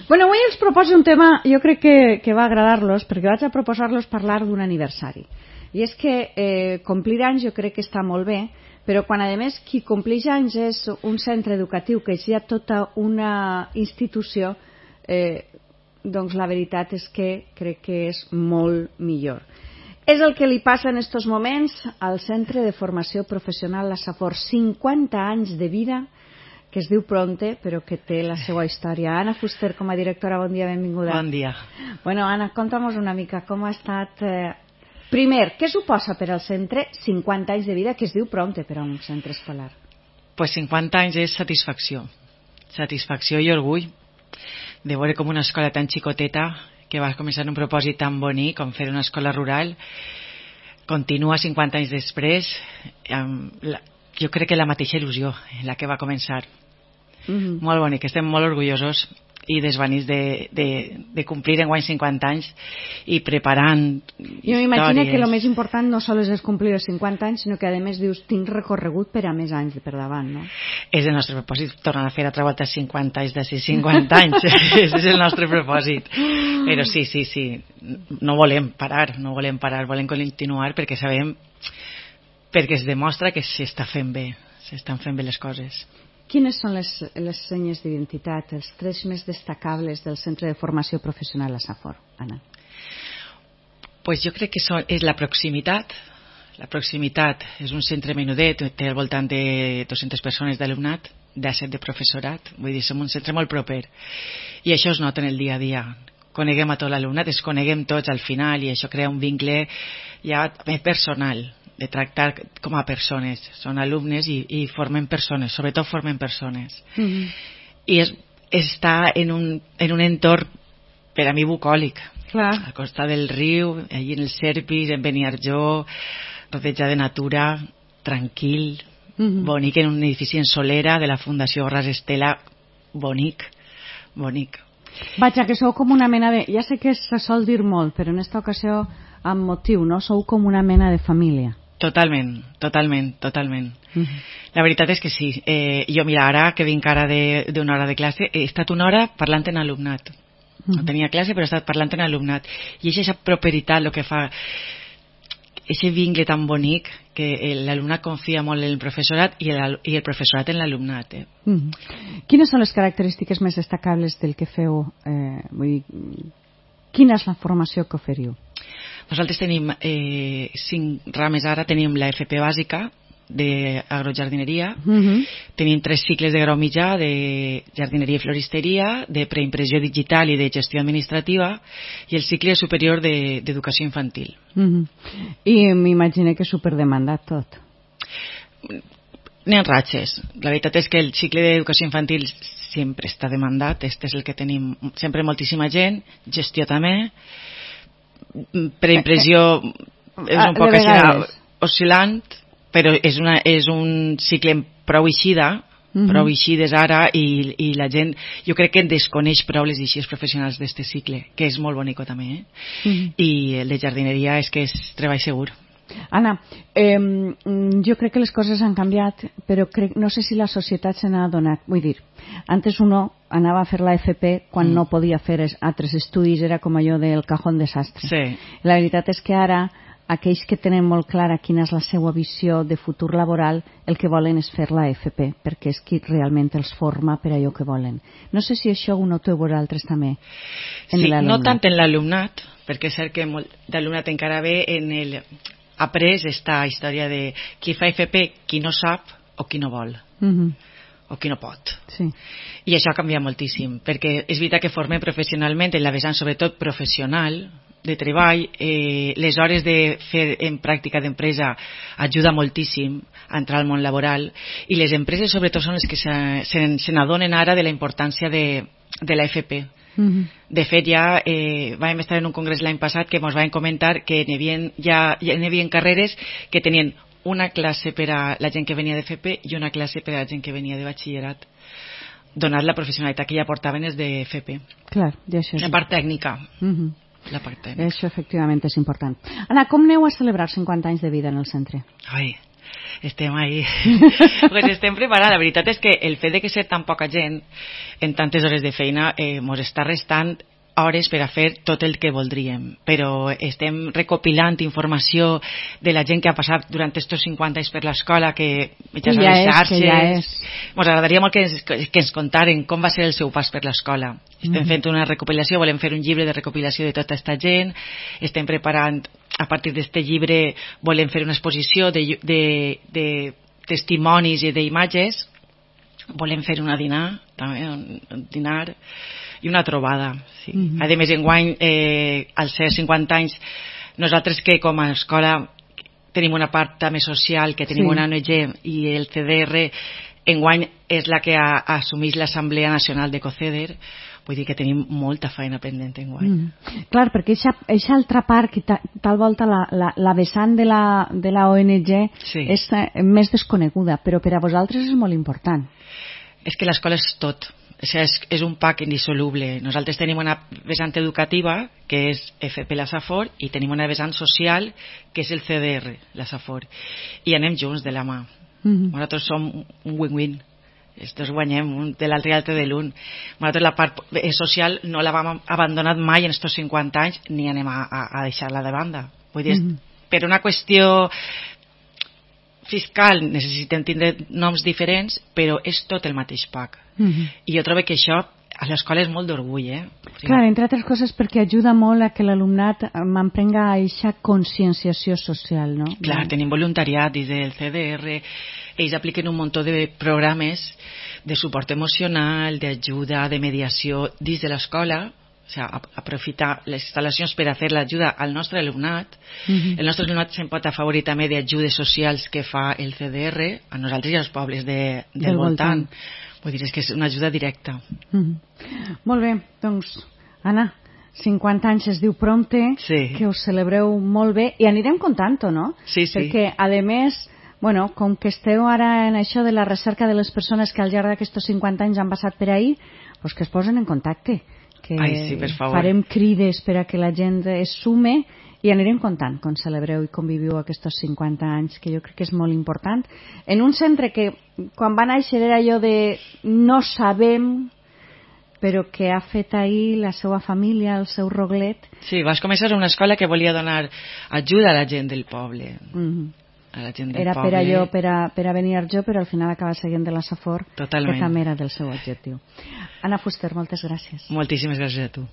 Bueno, avui els proposo un tema, jo crec que va agradar-los, perquè vaig a proposar-los parlar d'un aniversari. I és que complir anys jo crec que està molt bé, però quan a més qui compleix anys és un centre educatiu, que és ja tota una institució, doncs la veritat és que crec que és molt millor. És el que li passa en estos moments al Centre de Formació Professional La Safor. 50 anys de vida, que es diu Pronte, però que té la seva història. Anna Fuster, com a directora, bon dia, benvinguda. Bon dia. Bueno, Anna, conta'm una mica com ha estat... Primer, què suposa per al centre 50 anys de vida, que es diu Pronte per a un centre escolar? Pues 50 anys és satisfacció. Satisfacció i orgull de veure com una escola tan xicoteta, que va començar un propòsit tan bonic com fer una escola rural, continua 50 anys després jo crec que la mateixa il·lusió en la que va començar. Molt bonic, estem molt orgullosos i desvanits de complir enguany 50 anys i preparant jo m'imagino que el més important no sols és complir els 50 anys, sinó que a més dius, tinc recorregut per a més anys per davant, no? És el nostre propòsit, tornar a fer altra volta 50 anys d'ací 50 anys. És el nostre propòsit. Però sí, no volem parar, volem continuar perquè sabem, perquè es demostra que s'estan fent bé les coses. Quines són les senyes d'identitat, els trets més destacables del Centre de Formació Professional La Safor, Anna? Pues jo crec que és la proximitat. La proximitat és un centre menudet, té al voltant de 200 persones d'alumnat, d'17 de professorat, vull dir, som un centre molt proper. I això es nota en el dia a dia. Coneguem a tot l'alumnat, es coneguem tots al final i això crea un vincle ja personal, de tractar com a persones. Són alumnes i formen persones, sobretot formen persones. I està en un entorn per a mi bucòlic. Clar. Al costat del riu, allí en el Serpis, en Beniarjó, rodejat de natura, tranquil, bonic, en un edifici en Solera de la Fundació Ras Estela, bonic. Vaja, que sou com una mena de... Ja sé que se sol dir molt, però en esta ocasió amb motiu, no? Sou com una mena de família. Totalment. La veritat és que sí. Jo, mira, ara que vinc ara d'una hora de classe, he estat una hora parlant en alumnat. No tenia classe, però he estat parlant en alumnat. I és aquesta properitat el que fa aquest vincle tan bonic que l'alumnat confia molt en el professorat i el professorat en l'alumnat. Quines són les característiques més destacables del que feu? Quina és la formació que oferiu? Nosaltres tenim 5 rames ara. Tenim la FP bàsica d'agrojardineria, tenim 3 cicles de grau mitjà de jardineria i floristeria, de preimpressió digital i de gestió administrativa, i el cicle superior d'educació infantil. I m'imagino que és superdemandat tot. N'hi ha ratxes. La veritat és que el cicle d'educació infantil sempre està demandat. Este és el que tenim sempre moltíssima gent, gestió també, preimpressió és un poc oscil·lant, però és un cicle prou eixides ara i la gent, jo crec que desconeix prou les eixides professionals d'aquest cicle, que és molt bonic també, i el de jardineria és que és treball segur. Anna, jo crec que les coses han canviat, però no sé si la societat se n'ha adonat. Vull dir, antes uno anava a fer la FP quan no podia fer altres estudis, era com allò del cajón desastre. Sí. La veritat és que ara aquells que tenen molt clara quina és la seva visió de futur laboral, el que volen és fer la FP, perquè és qui realment els forma per allò que volen. No sé si això ho noteu vosaltres també en l'alumnat. Sí, no tant en l'alumnat, perquè és cert que molt d'alumnat encara ve en el... après esta història de qui fa FP, qui no sap o qui no vol, o qui no pot. Sí. I això ha canviat moltíssim, perquè és veritat que formem professionalment en la vessant sobretot professional de treball, les hores de fer en pràctica d'empresa ajuda moltíssim a entrar al món laboral, i les empreses sobretot són les que se n'adonen ara de la importància de la FP. De fet, ja vam estar en un congrés l'any passat que ens van comentar que ja hi havia carreres que tenien una classe per a la gent que venia de FP i una classe per a la gent que venia de batxillerat, donat la professionalitat que ja portaven és de FP. Clar, ja això és... La part tècnica. La part tècnica. Això efectivament és important. Anna, com aneu a celebrar 50 anys de vida en el centre? Ai, estem ahí. Pues estem preparant. La veritat és que el fet de que ser tan poca gent en tantes hores de feina ens està restant hores per a fer tot el que voldríem, però estem recopilant informació de la gent que ha passat durant aquests 50 anys per l'escola, que mitjans a les xarxes. Ens agradaria molt que ens contaren com va ser el seu pas per l'escola. Estem fent una recopilació, volem fer un llibre de recopilació de tota aquesta gent, estem preparant, a partir d'aquest llibre volem fer una exposició de testimonis i d'imatges, volem fer una dinar, també, un dinar i una trobada. Sí. A més, enguany, als ser 50 anys, nosaltres que com a escola tenim una part també social, que tenim una ONG i el CDR, enguany és la que assumeix l'Assemblea Nacional de COCEDER, vull dir que tenim molta feina pendent enguany. Clar, perquè aquesta altra part, que tal volta la vessant de la ONG és més desconeguda, però per a vosaltres és molt important. És que l'escola és tot. És un pack indissoluble. Nosaltres tenim una vessant educativa, que és FP la Safor, i tenim una vessant social, que és el CDR, la Safor. I anem junts de la mà. Nosaltres som un win-win. Estos guanyem un de l'altre i l'altre de l'un. Nosaltres la part social no la vam abandonar mai en estos 50 anys, ni anem a deixar-la de banda. Vull dir, per una qüestió fiscal necessitem tindre noms diferents, però és tot el mateix pack. I jo trobo que això a l'escola és molt d'orgull. Clar, entre altres coses perquè ajuda molt a que l'alumnat manprenga aquesta conscienciació social, no? Clar, tenim voluntariat des del CDR, ells apliquen un munt de programes de suport emocional, d'ajuda, de mediació dins de l'escola, o sigui, aprofitar les instal·lacions per a fer l'ajuda al nostre alumnat. El nostre alumnat se'n pot afavorir també d'ajudes socials que fa el CDR a nosaltres i als pobles del voltant. Vull dir, és que és una ajuda directa. Molt bé, doncs, Anna, 50 anys es diu prompte, que us celebreu molt bé, i anirem contant-ho, no? Sí. Perquè, a més, bueno, com que esteu ara en això de la recerca de les persones que al llarg d'aquests 50 anys han passat per ahí, doncs que es posen en contacte, que farem crides per a que la gent es sume i anirem contant com celebreu i conviviu aquests 50 anys, que jo crec que és molt important, en un centre que quan va néixer era allò de no sabem, però que ha fet ahir la seva família, el seu roglet. Sí, vas començar una escola que volia donar ajuda a la gent del poble. A la gent del era poble. Per allò, per a venir jo, però al final acaba seguint de la Safor, que també era del seu objectiu. Anna Fuster, moltes gràcies. Moltíssimes gràcies a tu.